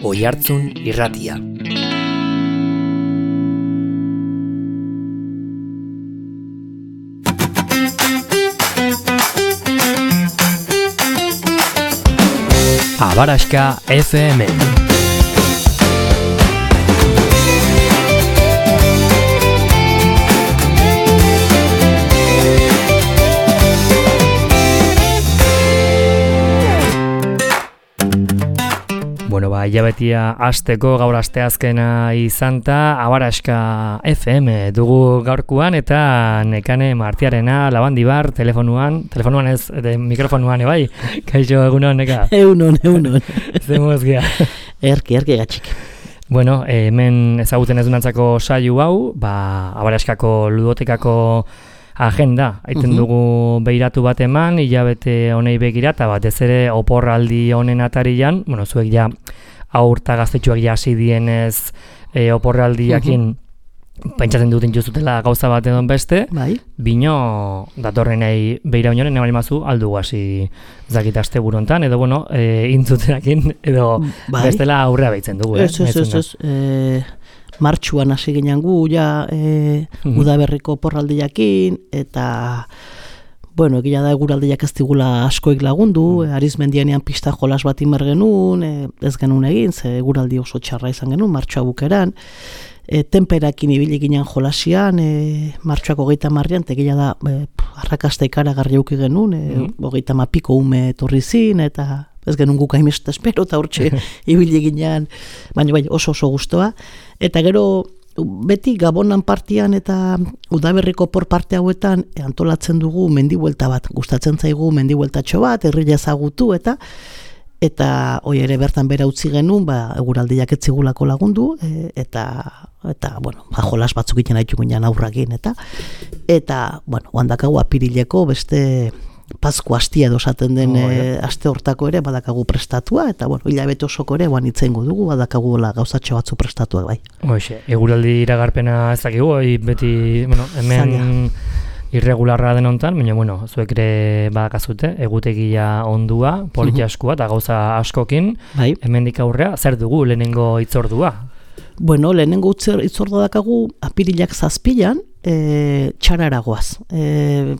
Oihartzun Irratia. Abaraxka FM. Bueno, hilabetia hasteko gaur asteazkena izanta, Abaraxka FM dugu gaurkuan eta Nekane Martiarena Labandibar telefonuan ez, mikrofonuan bai, kaixo egunon, Neka? Egunon. Zemuz gea. Erki gatxik. Bueno, hemen ezaguten ez dunantzako saio hau, Abaraxkako ludotekako agenda, aiten dugu behiratu bat eman, hilabete honei begira, eta batez ere oporraldi honen atarian, bueno, zuek ja aurta gaztetxuak ja hasi dienez oporraldiakin pentsatzen duten juzutela gauza bat edon beste, bino datorrenei behira honen, nebali mazu, aldu hasi zakit aste burontan, edo bueno, intzuterakin, edo bestela aurrea behitzen dugu. Ez. Martxuan hasi ginen gu, udaberriko porraldiakin, eta, bueno, egia da eguraldiak ez digula askoik lagundu, Arizmendianean pista jolas bat inber genuen, ez genuen egin, ze eguraldi oso txarra izan genuen, martxua bukeran, tenperakin ibili ginen jolasian, martxuak 30an, egia da arrakasta ikaragarri auki genuen, 30 piko ume etorri zin, eta ez genuen guk haimest espero, eta hortxe ibili ginen, baina oso gustoa. Eta gero, beti Gabonan partian eta udaberriko por parte hauetan antolatzen dugu mendibuelta bat. Gustatzen zaigu mendibueltatxo bat, herria ezagutu eta hoi ere bertan bera utzi genuen, eguraldiak ez zigulako lagundu, eta bueno, jolas batzuk iten haitu ginen aurrakin, eta bueno, handakagu apirileko beste Pasku hastia edo esaten den aste hortako ere badakagu prestatua, eta bueno, hilabete osoko ere itzengo dugu, badakagu gauzatxo batzu prestatuak bai. Hoxe, eguraldi iragarpena ez dakigu, beti, bueno, hemen irregularra den hontan, baina bueno, zuek ere badakazute, egutegia ondua, politiaskua eta gauza askokin, hemendik aurrea, zer dugu lehenengo hitzordua? Bueno, lehenengo hitzordua dakagu apirilak 7an, txararagoaz.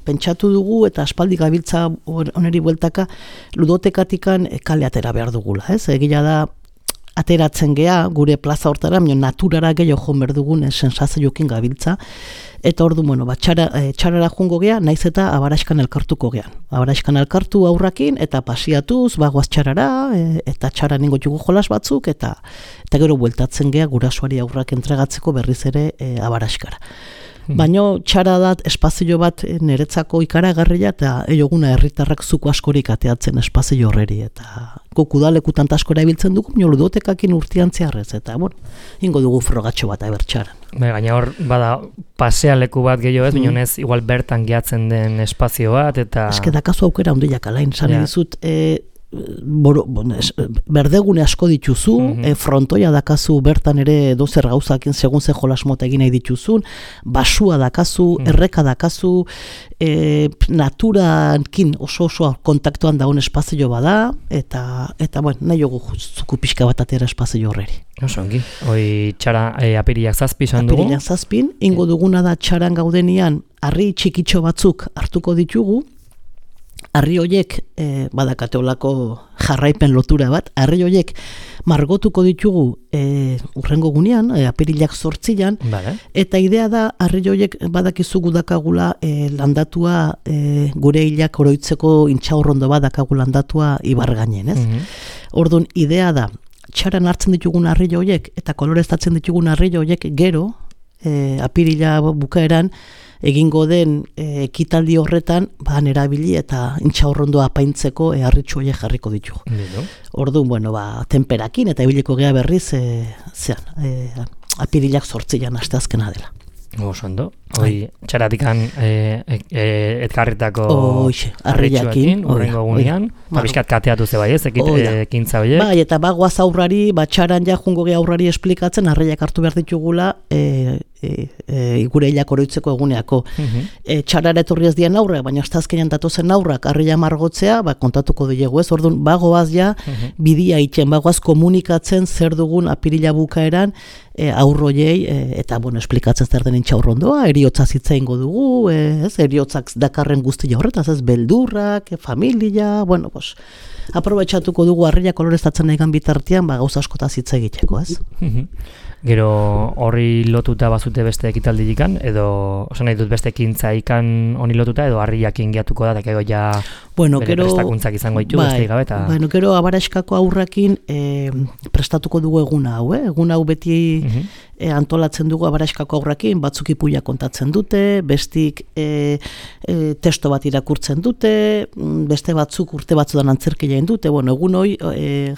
Pentsatu dugu eta aspaldi gabiltza oneri bueltaka ludotekatikan kale atera behar dugula. Egia da ateratzen gea gure plaza hortara, naturara gehiago joan behar dugun sensazioekin gabiltza. Eta ordu, bueno, txarara jungo gea, naiz eta Abaraxkan elkartuko gean. Abaraxkan elkartu aurrakin eta pasiatuz, bagoaz txarara, eta txara ningo jugu jolas batzuk, eta gero bueltatzen gea gurasoari aurrak entregatzeko berriz ere Abaraxkara. Baina txara da espazio bat niretzako ikaragarria eta eguna herritarrak zuko askorik ateatzen espazio horreri eta guk udalekutan askora ibiltzen dugu, ludotekakin urtean zeharrez eta bueno, ingo dugu frogatxo bat abertxaran. Gaina hor bada pasealeku bat gehiago ez, baina ez igual bertan gehatzen den espazio bat eta... Ez dakazu aukera ondiak alain, zan dizut... berdegune asko dituzu, frontoia dakazu bertan ere dozer gauzakin segun ze jolas mota egin nahi dituzun, basua dakazu, erreka dakazu, naturakin oso kontaktuan daun espazio bada, eta bueno, nahi jogu zuku pixka bat atera espazio horreri. Osongi, hoi txara apiriak 7 izan dugu? Apiriak 7, ingo duguna da txaran gaudenian, harri txikitxo batzuk hartuko ditugu, harri horiek badakateolako jarraipen lotura bat, harri horiek margotuko ditugu urrengo gunean, apirilak 8an, eta idea da harri horiek badakizugu dakagula landatua gure hilak oroitzeko intxaurrondo bat dakagu landatua ibargainen, ez? Orduan, idea da, txaran hartzen ditugun harri horiek eta koloreztatzen ditugun harri horiek gero, apirila bukaeran, egingo den ekitaldi horretan erabili eta intxaurrondoa apaintzeko harritxu horiek jarriko ditugu. Orduan, bueno, tenperakin eta ibiliko gea berriz apirilak 8an asteazkena dela. Oso ondo. txaratikan etkarritako arreiakin, urrengo gunean, bizkat kateatu ze bai ez, ekintza horiek. Bai, eta bagoaz aurrari, txaran ja jungo gehi aurrari esplikatzen, arreiak hartu behar ditugula, gure hilak oroitzeko eguneako. Txarara etorri ez dian aurrak, baina azkenean datozen aurrak arreia margotzea, kontatuko dugu ez, orduan bagoaz ja bidia itxen, bagoaz komunikatzen zer dugun apirila bukaeran aurroiei, eta esplikatzen zer den intxaurrondoa, eriotza zitza ingo dugu, eriotzak dakarren guztia horretaz, ez, beldurrak, familia, aprobetxatuko dugu arreia koloreztatzen egan bitartean, gauza askotaz hitz egiteko, ez? Gero horri lotuta bazute beste ekitaldilikan, edo oso nahi dut beste ekintza ikan honi lotuta, edo harriakin gehiatuko da, eta gero ja bere prestakuntzak izango ditu, beste gabe, eta... Gero abaraskako aurrakin prestatuko dugu eguna hau, egun hau beti antolatzen dugu abaraskako aurrakin, batzuk ipuia kontatzen dute, bestik testo bat irakurtzen dute, beste batzuk urte batzudan antzerkia egin dute, egun hori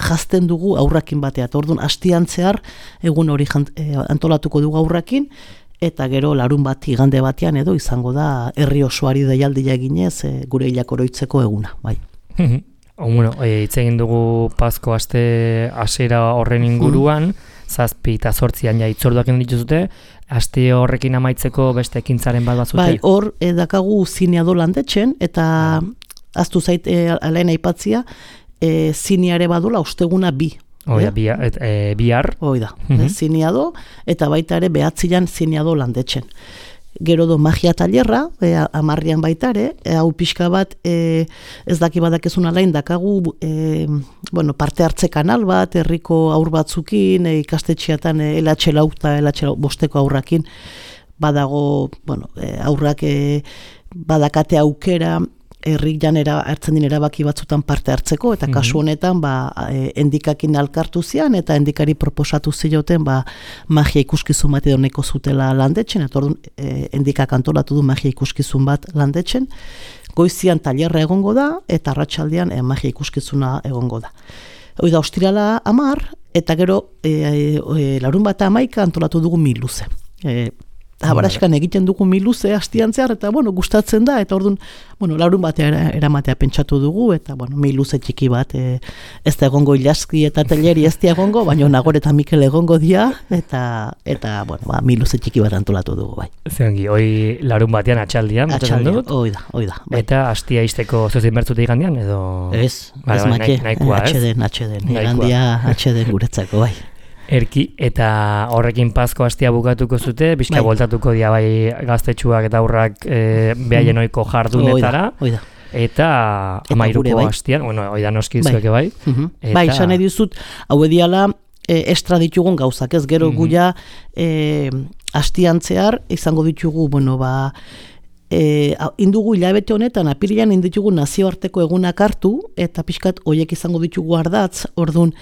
jazten dugu aurrakin batea, orduan hastian zehar egun hori antolatuko dugu aurrakin, eta gero larun bat igande batean edo izango da herri osoari deialdia eginez gure hilak oroitzeko eguna, bai. Hitz egin dugu Pasko aste hasiera horren inguruan, 7 eta 8 ja hitzorduak egin dituzute, aste horrekin amaitzeko beste ekintzaren bat bazute? Bai, hor dakagu zineado landetxen, eta aztu zait alain aipatzia, zineare badula osteguna 2. Bihar. Oida, zineado, eta baita ere behatzilan zineado landetxen. Gero do magia talerra, 10 baita ere, hau pixka bat, ez daki badakezun alain, dakagu parte hartze kanal bat, herriko aur batzukin, ikastetxeatan LH lau eta LH bosteko aurrakin, badago, aurrak badakate aukera, herrik janera hartzen din erabaki batzutan parte hartzeko, eta kasu honetan endikakin alkartu zian, eta endikari proposatu zioten magia ikuskizun bat edo neko zutela landetxen, eta orduan endikak antolatu du magia ikuskizun bat landetxen, goizian tailerra egongo da, eta arratsaldean magia ikuskizuna egongo da. Hoi da, ostirala 10, eta gero larun bat 11 antolatu dugu miluze. Abaraskan egiten dugu miluze hastian zehar, eta gustatzen da, eta orduan, larun batea eramatea pentsatu dugu, eta miluze txiki bat, ez da egongo Ilaski eta Teleri ez da egongo, baina Nagore eta Mikel egongo dia, eta miluze txiki bat antolatu dugu, bai. Zerangi, hoi larun batean atxaldian, hoi da. Bai. Eta hastia izteko zozien bertzute igandian, edo? Ez make, atxeden, igandia atxeden guretzako, bai. Erki, eta horrekin Pasko hastia bukatuko zute, bizka voltatuko dia bai gaztetxuak eta aurrak behaien oiko jardunetara. Oida. Eta 13ko hastian, oida noski zueke bai. Bai, esan edizut, hau ediala estra ditugun gauzak, ez gero guia hastian zehar izango ditugu, indugu hilabete honetan, apirilean inditugu nazioarteko egunak hartu, eta pixkat horiek izango ditugu ardatz, orduan,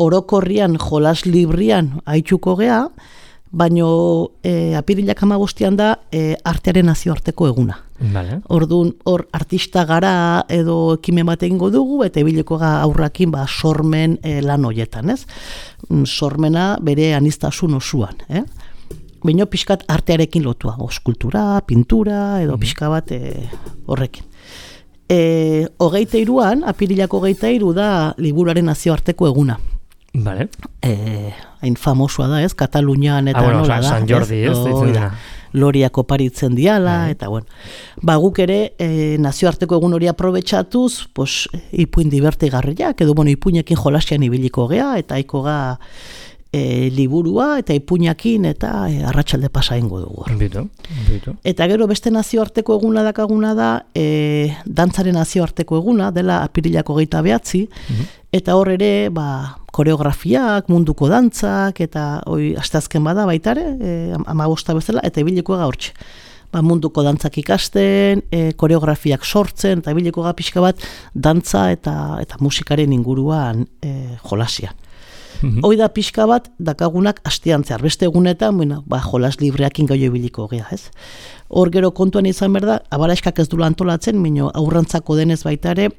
orokorrian, jolas librian haitxuko gea, baino apirilak 15 da artearen nazioarteko eguna. Vale. Orduan, hor artista gara edo ekimen bat egingo dugu, eta ebileko aurrakin sormen lan hoietan, ez? Sormena bere aniztasun osuan, baino pixkat artearekin lotua, eskultura, pintura, edo pixka bat horrekin. 23an, apirilako 23 da liburuaren nazioarteko eguna. Vale. Hain famosua da, ez? Katalunian eta nola da. San Jordi, ez? Loriak oparitzen diala, eta guk ere nazioarteko egun hori aprobetxatuz, ipuin divertigarriak, edo ipuinekin jolasian ibiliko gea, eta aiko ga liburua, eta ipuinakin, eta arratsalde pasa ingo dugu. Bitu. Eta gero beste nazioarteko eguna dakaguna da, dantzaren nazioarteko eguna, dela apirilako 29, eta hor ere, koreografiak, munduko dantzak, eta asteazken bada baitare, 15 bezala, eta ibiliko gaurtxe. Munduko dantzak ikasten, koreografiak sortzen, eta ibiliko ga pixka bat dantza eta musikaren inguruan jolasia. Hoi da pixka bat, dakagunak hastian zehar. Beste egunetan, jolas libreakin gau ibiliko gea, ez? Hor gero kontuan izan behar da, abaraskak ez dula antolatzen, mino aurrentzako denez baitare,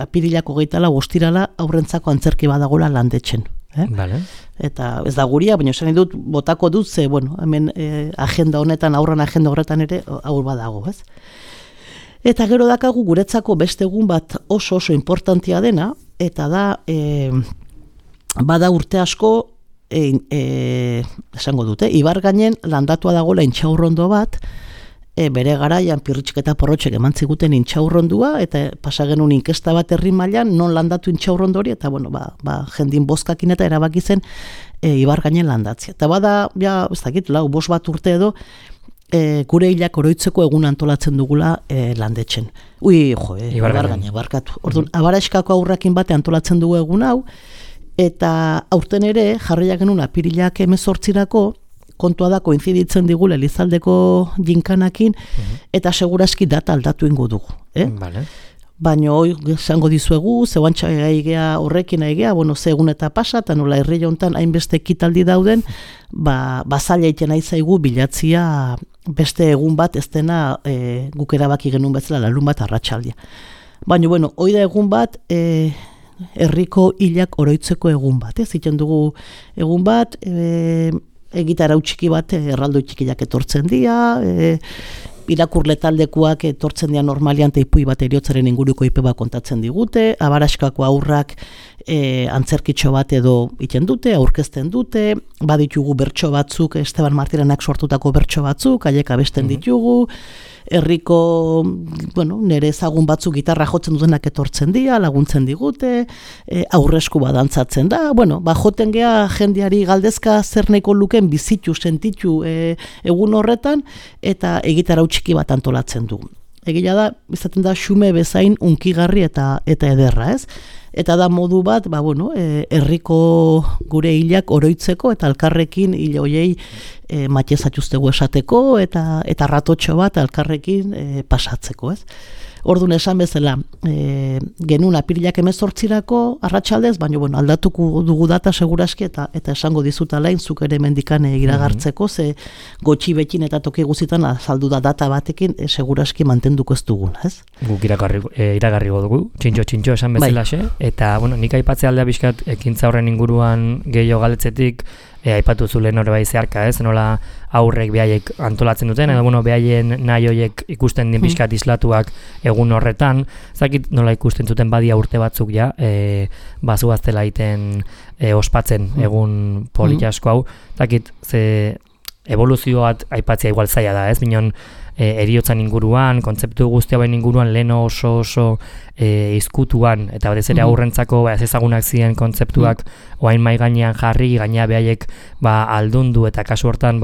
apirilako 24 ostirala aurrentzako antzerki badagola landetxen. Vale. Eta ez da guria, baina esan dut botako dut, ze, bueno, hemen agenda honetan, aurran agenda horretan ere, aur badago, ez? Eta gero dakagu guretzako beste egun bat oso importantia dena, eta da, bada urte asko, esango dute, Ibargainen landatua dagoela intxaurrondo bat, bere garaian Pirritxik eta Porrotxek eman ziguten intxaurrondua, eta pasa genuen inkesta bat herri mailan non landatu intxaurrondo hori, eta bueno, jendin bozkakin eta erabaki zen Ibargainen landatzea. Eta bada, ez dakit, 5 bat urte edo, gure hilak oroitzeko egun antolatzen dugula landetxen. Ibargainen, barkatu. Orduan, Abaraskako aurrakin bate antolatzen dugu egun hau, eta aurten ere, jarriak genuen apirilak 18-rako, kontua da koinziditzen digula Elizaldeko jinkanakin, eta seguraski data aldatu ingo dugu. Vale. Baina hoi esango dizuegu, zeuantxa gaigea horrekin aigea, ze egun eta pasa, eta nola herri jontan hainbeste ekitaldi dauden, zaila iten aizaigu bilatzia beste egun bat ez dena guk erabaki genuen bezala larun bat arratsaldia. Baina, hoi da egun bat, herriko hilak oroitzeko egun bat. Ziten dugu egun bat, egitarau txiki bat erraldoi txikiak etortzen dira, irakurle taldekuak etortzen dira normalian teipui bat eriotzaren inguruko ipe bat kontatzen digute, Abaraskako aurrak antzerkitxo bat edo iten dute, aurkezten dute, baditugu bertso batzuk, Esteban Martiranak sortutako bertso batzuk, haiek abesten ditugu, herriko, nire ezagun batzuk gitarra jotzen dutenak etortzen dira, laguntzen digute, aurresku badantzatzen da, joten gea jendeari galdezka zer nahiko luken bizitu, sentitu egun horretan, eta egitarau txiki bat antolatzen du. Egia da, izaten da xume bezain unkigarri eta ederra, ez? Eta da modu bat, herriko gure hilak oroitzeko eta alkarrekin hil hoiei matezatuztegu esateko eta ratotxo bat alkarrekin pasatzeko, ez? Orduan esan bezala, genuen apirilak 18-rako arratsaldez, baina aldatuko dugu data seguraski eta esango dizut alain, zuk ere mendikan iragartzeko, ze gotxi bekin eta toki guzitan azaldu da data batekin seguraski mantenduko ez dugun, ez? Guk iragarriko dugu, txintxo esan bezala xe, eta nik aipatzea aldea bizkat ekintza horren inguruan gehiago galetzetik, aipatu zulen hori bai zeharka, ez? Nola aurrek behaiek antolatzen duten, edo behaien nahi horiek ikusten din pixkat islatuak egun horretan, zakit nola ikusten zuten badia urte batzuk ja, bazuaztela iten ospatzen egun politasko hau, zakit ze evoluzioat aipatzea igual zaila da, ez? Binon eriotzan inguruan, kontzeptu guztia bain inguruan lehen oso izkutuan, eta batez ere aurrentzako ez ezagunak ziren kontzeptuak oain mai gainean jarri, gainea behaiek aldundu eta kasu hortan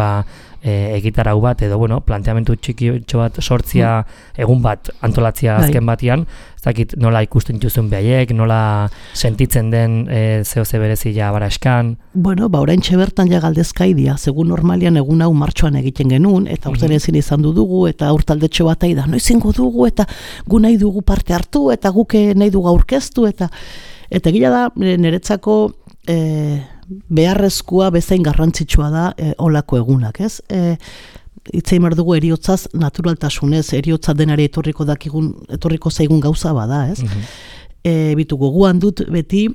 egitarau bat edo planteamentu txikitxo bat sortzia egun bat antolatzia azken batian, ez dakit nola ikusten dituzun behaiek, nola sentitzen den zehose berezia Abaraskan. Oraintxe bertan ja galdezkaidia, segun normalian egun hau martxoan egiten genuen, eta urten ezin izan dugu, eta urtaldetxo bat da, noizingo dugu, eta gu nahi dugu parte hartu, eta guk nahi dugu aurkeztu, eta gila da, niretzako beharrezkoa bezain garrantzitsua da olako egunak, ez? Itzein behar dugu eriotzaz naturaltasunez, eriotza denari etorriko zaigun gauza bada, ez? Bitu goguan dut beti,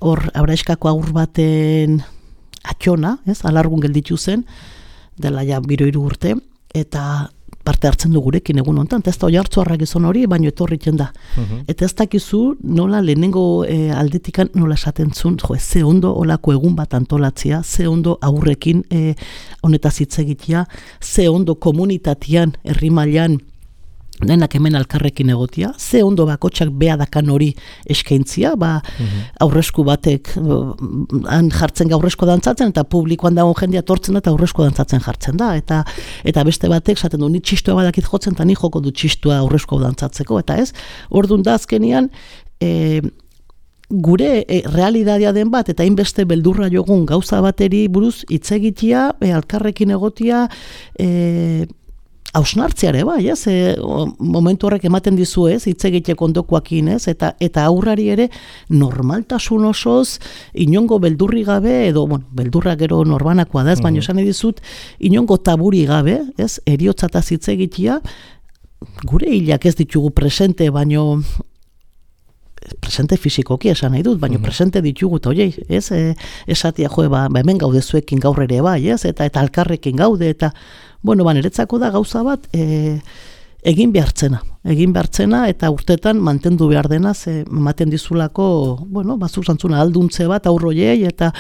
hor Abaraskako aur baten atxona, ez? Alargun gelditu zen, dela ja 3 urte, eta parte hartzen du gurekin egun honetan, eta ez da oihartzuarra gizon hori, baino etorritzen da. Eta ez dakizu nola lehenengo aldetikan nola esaten zuen, ze ondo olako egun bat antolatzea, ze ondo aurrekin honetaz hitz egitea, ze ondo komunitatean, herri mailan denak hemen alkarrekin egotia, ze ondo bakotxak behadakan hori eskaintzia, aurresku batek han jartzen aurresko dantzatzen, eta publikoan dago jendea tortzen da, eta aurresko dantzatzen jartzen da, eta beste batek esaten du, ni txistua badakit jotzen, eta ni joko du txistua aurresko dantzatzeko, eta ez, orduan da azkenian, gure realitatea den bat, eta hainbeste beldurra jogun gauza bateri buruz hitz egitea, alkarrekin egotia, hausnartzeare bai, ez? Momentu horrek ematen dizu, ez? Hitz egiteko ondokoakin, ez? Eta aurrari ere normaltasun osoz, inongo beldurri gabe, edo, beldurra gero norbanakoa da, ez? Baina esan dizut, inongo taburi gabe, ez? Eriotzataz hitz egitea, gure hilak ez ditugu presente, baino presente fisikoki esan nahi dut, baina presente ditugu, eta oiei, ez, esatia, hemen gaude zuekin gaur ere bai, ez, eta alkarrekin gaude, eta, niretzako da gauza bat, egin behartzena, eta urtetan mantendu behar dena, ematen dizulako, bazuk zantzuna alduntze bat, aurroiei, eta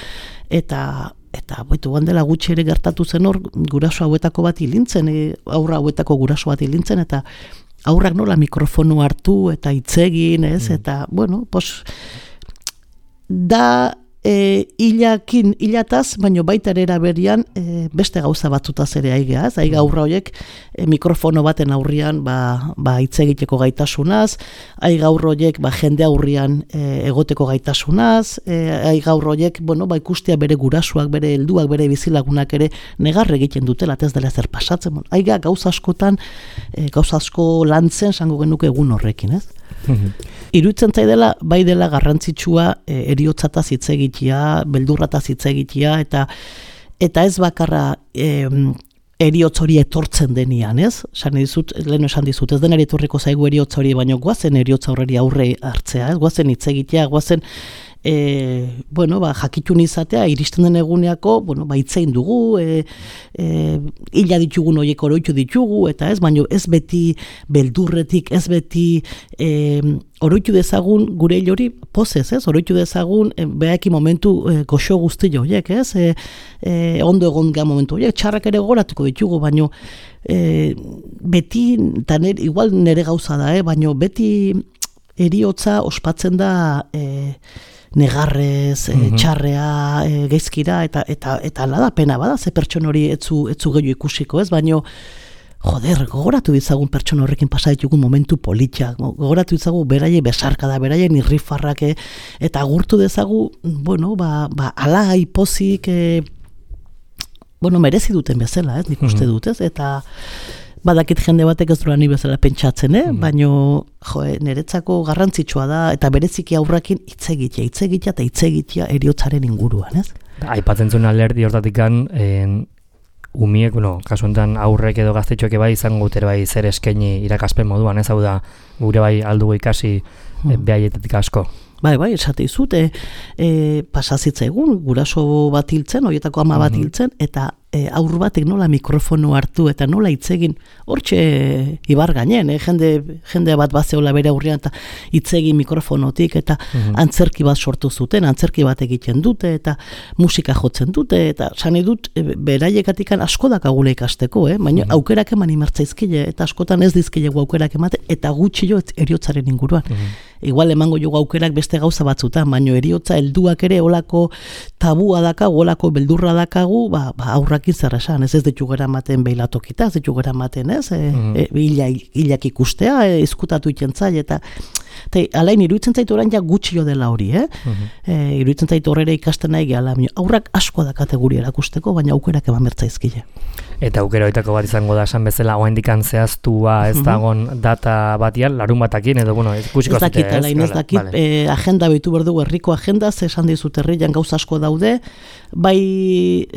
boitu gandela gutxi ere gertatu zen hor, guraso hauetako bat hilintzen, aurra hauetako guraso bat hilintzen, eta aurrak nola mikrofonu hartu, eta hitzegin, ez, eta, da hilataz, baino baita ere eraberian beste gauza batzutaz ere aigea, ez? Aiga aurra horiek mikrofono baten aurrian hitz egiteko gaitasunaz, aiga aurra horiek jende aurrian egoteko gaitasunaz, aiga aurra horiek, ikustea bere gurasuak, bere helduak, bere bizilagunak ere negar egiten dutela, ez dela zer pasatzen. Aiga gauza askotan, gauza asko lantzen sango genuke egun horrekin, ez? Iruditzen zaidela, bai dela garrantzitsua eriotzataz hitz egitea, beldurrataz hitz egitea, eta ez bakarra eriotz hori etortzen denian, ez? Lehen esan dizut, ez denari etorriko zaigu eriotz hori, baina guazen eriotz horreri aurre hartzea, ez? Guazen hitz egitea, guazen jakitun izatea, iristen den eguneako, hitzein dugu, hila ditugun horiek oroitu ditugu, eta ez, baina ez beti beldurretik, ez beti oroitu dezagun gure hori pozez, ez? Oroitu dezagun behaki momentu goxo guzti horiek, ez? Ondo egon gara momentu horiek, txarrak ere goratuko ditugu, baina beti, eta igual nere gauza da, baina beti eriotza ospatzen da negarrez, txarrea, geizkira, eta ala da, pena bada, ze pertson hori etzu gehiago ikusiko, ez? Baina, gogoratu dizagun pertsona horrekin pasa ditugun momentu politiak, gogoratu dizagun beraien besarkada, beraien irrifarrak, eta agurtu dezagu, ala ipozik, merezi duten bezala, ez? Nik uste dut, ez? Eta badakit jende batek ez duela ni bezala pentsatzen, baina niretzako garrantzitsua da, eta bereziki aurrakin hitz egitea eta hitz egitea eriotzaren inguruan, ez? Aipatzen zuen alderdi hortatikan, umiek, kasu honetan aurrek edo gaztetxoek bai izango dut bai zer eskaini irakaspen moduan, ez? Hau da, gure bai aldugu ikasi behaietatik asko. Bai, esate izut, pasazitza egun, guraso bat hiltzen, horietako ama bat hiltzen, eta aur batek nola mikrofono hartu eta nola hitzegin, hortxe ibar gainen, jende bat bazeola bere aurrean eta hitzegin mikrofonotik, eta antzerki bat sortu zuten, antzerki bat egiten dute, eta musika jotzen dute, eta sani dut, beraiekatikan asko dakagula ikasteko, baina aukerak eman imertzaizkile, eta askotan ez dizkilegu aukerak emate, eta gutxi jo eriotzaren inguruan. Igual emango jogu aukerak beste gauza batzutan, baina eriotza helduak ere olako tabua dakagu, olako beldurra dakagu, aurrakin zer esan, ez ditu gara maten behilatokita, ez ditu gara maten, ez? Hilak ikustea, izkutatu itentzaile, eta alain, iruditzen zaitu orain ja gutxi jo dela hori, iruditzen zaitu horre ikasten nahi gehala, aurrak asko da kategori erakusteko, baina aukerak eman bertzaizkile. Eta aukera hoitako bat izango da, esan bezala, oaindikan zehaztua ez dagon data batian, larun batakin, edo, ikusiko zute, ez? Ez dakit, agenda behitu berdugu, herriko agenda, esan dizut herrian gauza asko daude, bai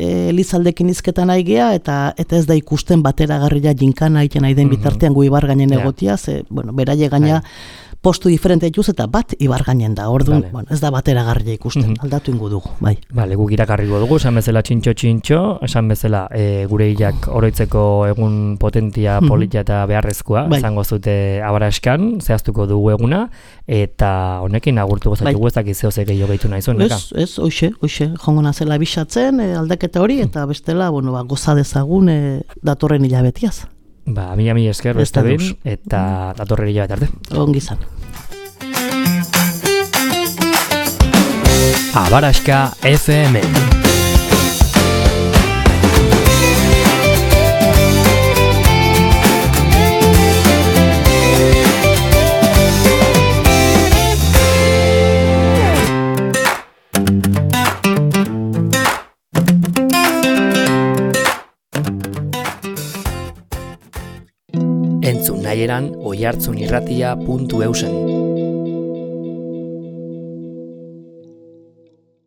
Elizaldekin izketan nahi gea, eta ez da ikusten bateragarria jinkana egiten nahi den bitartean gu ibar gainen egotia, beraie gaina postu diferente dituz eta bat ibar gainen da, orduan, ez da bateragarria ikusten, aldatu ingo dugu, bai. Bale, guk irakarriko dugu, esan bezala txintxo, esan bezala gure hilak oroitzeko egun potentia, politia eta beharrezkoa, izango zute abaraskan, zehaztuko dugu eguna, eta honekin agurtuko zaitugu ez dakizeo ze gehiago gehitu nahi zuen, neka? Ez, hoxe, jongo nazela bisatzen, aldaketa hori, eta bestela, goza dezagun datorren hilabetiaz. Mila esker, beste behin, eta datorren hilabete arte. Ongi izan. Abaraska FM. Entzun nahieran oihartzunirratia.eusen.